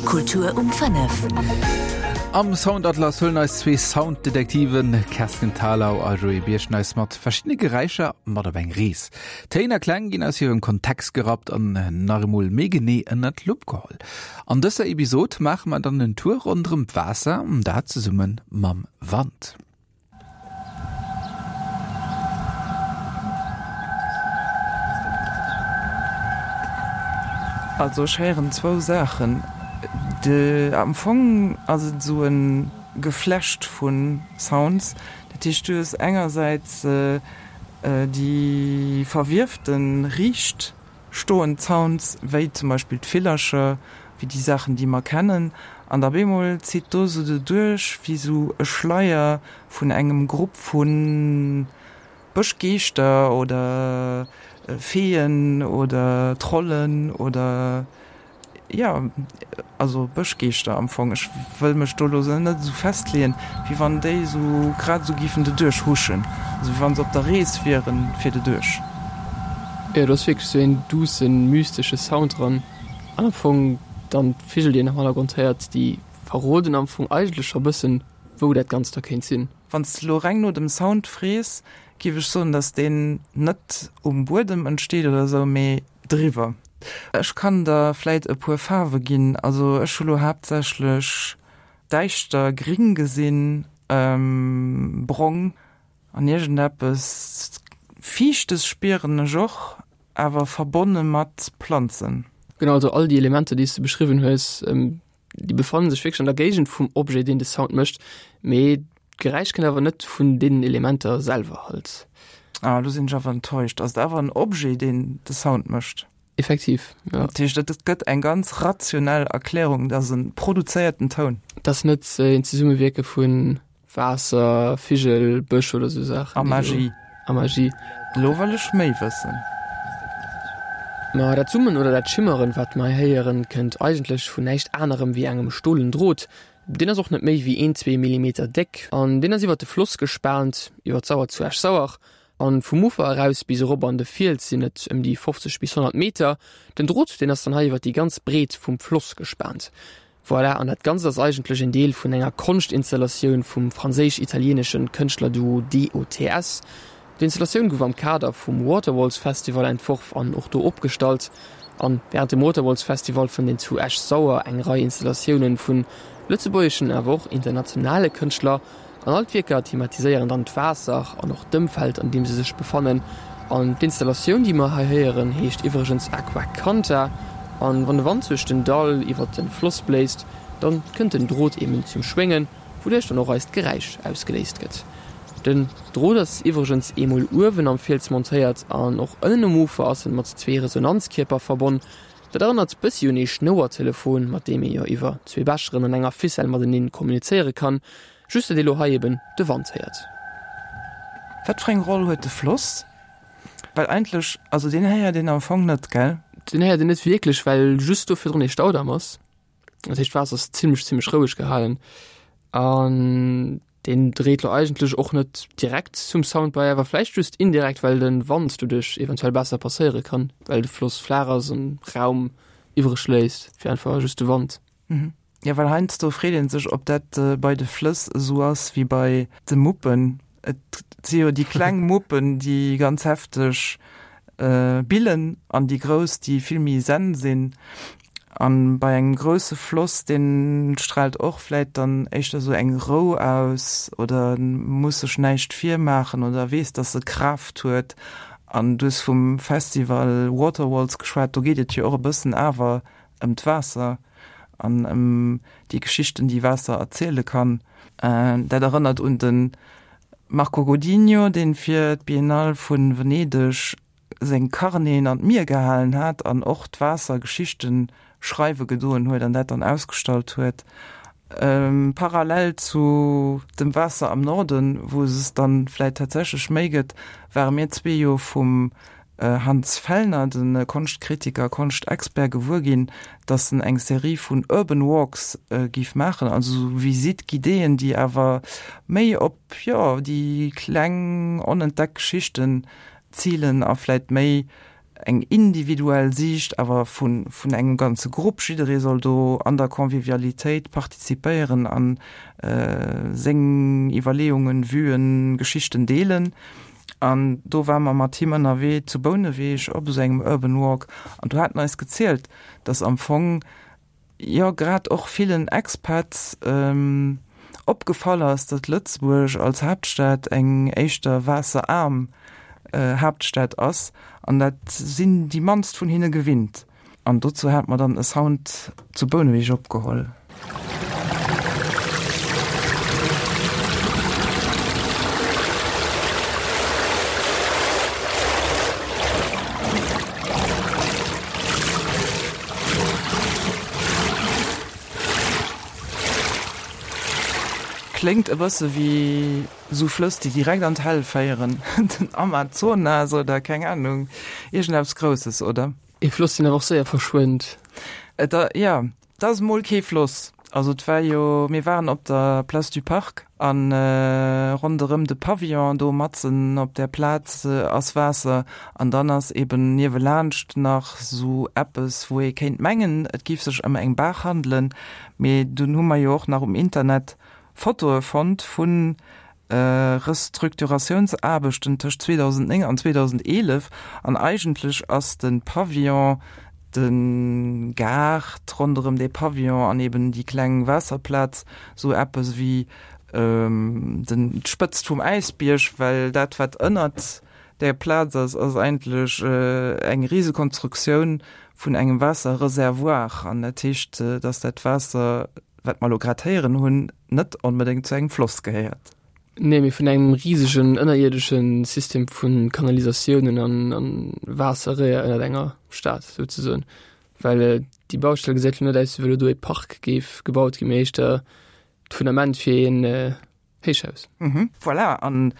Kultur um 5. Am Soundatlas huelen eis zwee Sounddetektiven Kerstin Thalau a Joé Birchen eis mat verschiddene Geräischer mat op eng Rees. Téin a Kläng ginn aus hirem Kontext gerappt an nach emol méi genee ënnert d'Lupp geholl. An dëser Episod maache mer dann en Tour ronderëm d'Waasser, dat zesumme mam Wand. Also ech héieren zwou Saachen. De am Fong ass et esou e Geflecht vu Sounds. Dat heescht du hues engersäits déi verwiefte riicht stoend Sounds, wéi zum Beispill d'Villercher, wéi déi Saachen, déi mer kennen, an da bemol zitt do sou doduerch wéi sou e Schleier vun engem Grupp vu Bëschgeeschter oder Feeën oder Trollen oder Jo, also Bëschgeeschter am Fong. Ech wëll mech do elo net esou festleeën, wéi wann déi esou grad esou géifen doduerch huschen, also wéi wann se op der Rees wieren fir doduerch. Jo, do ass wierklech esou een duussen, mystesche Sound dran. An am Fong dann d'Vigel, déi een am Hannergrond héiert, déi verroden am Fong eigentlech scho bëssen, wou dat Ganzt da kéint sinn. Wann s de elo reng no dem Sound frees, géif ech soen, dass deen net um Buedem entsteet oder esou, mee Driwwer. Ech kann der vläit e puer Faarwe ginn. Also ech hu lo haaptsächlech däischter gring gesinn, brong an iergendeppes fiichtes spieren ech och, awer verbonne mat Planzen. Genau, also all déi Elementer déi s de beschriwwen hues, Déi befannen sech wierklech an der Géigend vum Objet, deen de Sound mécht, mee d'Geräisch kënnt awer net vun deenen Elementer selwer halt. Ah, lo sinn ech awer enttäuscht. Ass et awer en Objet, deen de Sound mécht? Effektiv, jo. Dat heescht, et gëtt eng ganz rationell Erklärung, et ass e produzéierten Toun. Et ass net een Zesummewierke vu Waasser, Vigel, Bësch oder sou Saachen. A Magie. A Magie. Lo wëll ech méi wëssen. Ma dat Summen oder dat Schimmeren, wat mer hei héieren, kënnt eigentlech vun näischt anerem wéi engem stolen Drot. Deen ass och net méi wéi een, zwee Millimeter déck an deen ass iwwer de Floss gespaant, iwwer d'Sauer zu Esch-Sauer. An vum Ufer eraus bis erop an de Fiels sinn et ëm déi 50 bis 100 Meter. Den Drot, deen ass dann hei iwwer déi ganz Breet vum Floss gespaant. Voilà, an dat Ganzt ass eigentlech en Deel vun enger Konschtinstallatioun vum franséisch-italieeneschen Kënschtlerduo DOTS. D'Installatioun gouf am Kader vum Waterwalls Festival entworf an och do opgestallt. An wärend dem Waterwalls Festival fënnt een zu Esch-Sauer eng Rei Installatiounen vun lëtzebuergeschen awer och internationale Kënschtler. An all d'Wierker thematiséieren dann d'Waasser an och d'Ëmfeld, an deem se sech befannen. An d'Installatioun, déi mer hei héieren, heescht iwwregens Aqua Canta. An wann de Wand duerch den Dall iwwert de Floss bléist, dann kënnt den Drot eben zum Schwéngen, wouduerch dann och eist Geräisch ausgeléist gëtt. Den Drot ass iwwregens eemol uewen am Fiels montéiert an och ënnen um Ufer ass en mat zwee Resonanzkierper verbonn. Dat erënnert bëssi un ee Schnouertelefon, mat deem ee jo iwwer zwee Becheren an enger Ficelle mateneen kommunizéiere kann, just datt ee lo hei eben de Wand héiert. Wat fir eng Roll huet de Floss? Well eigentlech, also deen héiert een am Fong net, gell? Deen héiert een net wierklech, well just do virdrun ee Staudamm ass. Dat heescht, d'Waasser ass zimmlech, zimmlech roueg gehalen an Deen dréit lo eigentlech och net direkt zum Sound bei, awer vläicht just indirekt, well den Wand doduerch eventuell besser passéiere kann, well de Floss flaach ass an Raum iwwreg léisst fir einfach just de Wand. Mhm. Jo, well heiansdo freet een sech, ob dat bei de Flëss esou ass wéi bei de Muppen. Et si jo déi kleng Muppen, déi ganz hefteg billen an déi grouss, déi vill méi zen sinn. An bei engem grousse Floss, deen strahlt och vläit dann éischter esou eng Rou aus oder muss sech näischt virmaachen oder weess, dass e Kraaft huet. An du hues vum Festival Waterwalls geschwat, do geet et jo och e bëssen awer ëm d'Waasser an ëm déi Geschichten, déi Waasser erziele kann. Dat erënnert un de Marco Godinho, dee fir d'Biennale vu Venedeg seng Carneten an d'Mier gehalen hat an och d'Waasser Geschichte schreiwe gedoen huet an dat dann ausgestallt huet. Parallel zu dem Waasser am Norden, wou es dann vläit tatsächlech méi gëtt, ware mir zwee jo vum Hans Fellner, de Konschtkritiker, Konschtexpert, gewuer ginn, datt en eng Serie vun Urban Walks géif maachen, also sou Visite guidéeën, déi awer méi op, jo, déi kleng onentdeckt Geschichten zilen a vläit méi. eng individuell Siicht awer vun vun engem ganze Grupp. Jidderee soll do an der Convivialitéit participéieren an seng Iwwerleeungen, Vuen, Geschichten deelen. An do ware mer mat him ënnerwee zu Bouneweg op esou engem Urban Walk an do hat en eis gezielt, dass am Fong jo grad och villen Expats opgefall ass, datt Lëtzebuerg als Haaptstad eng éischter waasseraarm Haaptstad ass an dat sinn déi mannst vun hinne gewinnt. An dozou hat mer dann e Sound zu Bouneweg opgeholl. Kléngt e bësse wéi sou Flëss, déi direkt an d'Hell féieren, den Amazonas oder keng Ahnung, iergendeppes Grousses, oder? Ee Floss, deen awer och séier verschwënnt. Et a, jo, et ass emol kee Floss. Also et war jo, mir waren op der Place du Parc a ronderëm de Pavillon do matzen op där Plaz ass Waasser an dann ass eben niewelaanscht nach sou eppes, wou ee kéint mengen, et géif sech ëm eng Baach handelen. Mee dunn hu mer jo och nach um Internet Fotoe fonnt vun Restrukturatiounsaarbechten tëscht 2009 an 2011 an eigentlech ass de Pavillon, de Gaart ronderëm dee Pavillon an eben déi kleng Waasserplaz sou eppes wéi den d'Spëtzt vum Äisbierg, well dat wat ënnert där Plaz ass, ass eigentlech eng Risekonstruktioun vun engem Waasserreservoir an dat heescht, datt dat Waasser wat mer elo grad héieren hunn, net onbedéngt zu engem Floss gehéiert. Nee, mee vun engem risegen ënnerierdesche System vu Kanalisatiounen an Waasserréier ënnert enger Stad souzesoen. Well déi Baustell gesäit elo net aus, wéi wa lo do e Park géif gebaut ginn, mee éischter d'Fundament fir een Héichhaus. Mhm, voilà, an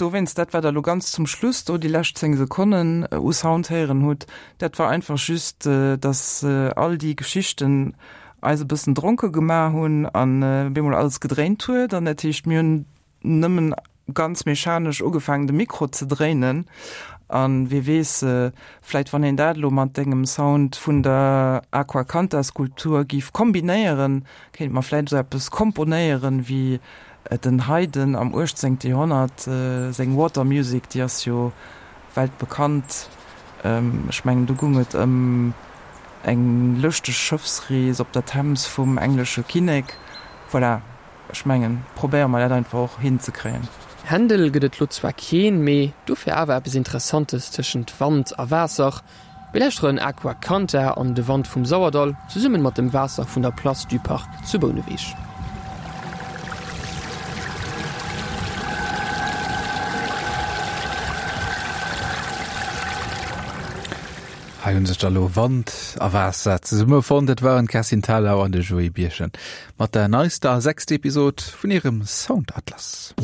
dowéinst dat wat der elo ganz zum Schluss do déi lescht 10 Sekonnen u Sound héieren hutt, dat war einfach just, dass all déi Geschichten eis e bëssen dronke gemaach hunn an bemol alles gedréint huet an dat heescht mir hunn nëmmen ganz mechanesch ugefaangen de Mikro ze dréinen an wie weess, vläit wann een dat elo mat dengem Sound vun der Aqua Canta Skulptur giff kombinéieren, Kéint mer vläit esou eppes komponéieren wéi den Haydn am 18. Joerhonnert seng Water Music, déi ass jo weltbekannt. Ech mengen do gung et ëm eng lëschteg Schëffsrees op der Thames vum englesche Kinnek. Voilà, ech mengen probéiere mer dat einfach och hinzekréien. Händel gëtt et lo zwar keen, mee dofir awer eppes Interessantes tëschent Wand a Waasser. Mir lauschteren Aqua Canta an de Wand vum Sauerdall zesummen mat dem Waasser vun der Place du Parc zu Bouneweg. Hei hunn sech da lo Wand a Waasser zesummefonnt. Et waren d'Kerstin Thalau an de Joé Birchen mat der neister a sechster Episod vun hirem Soundatlas.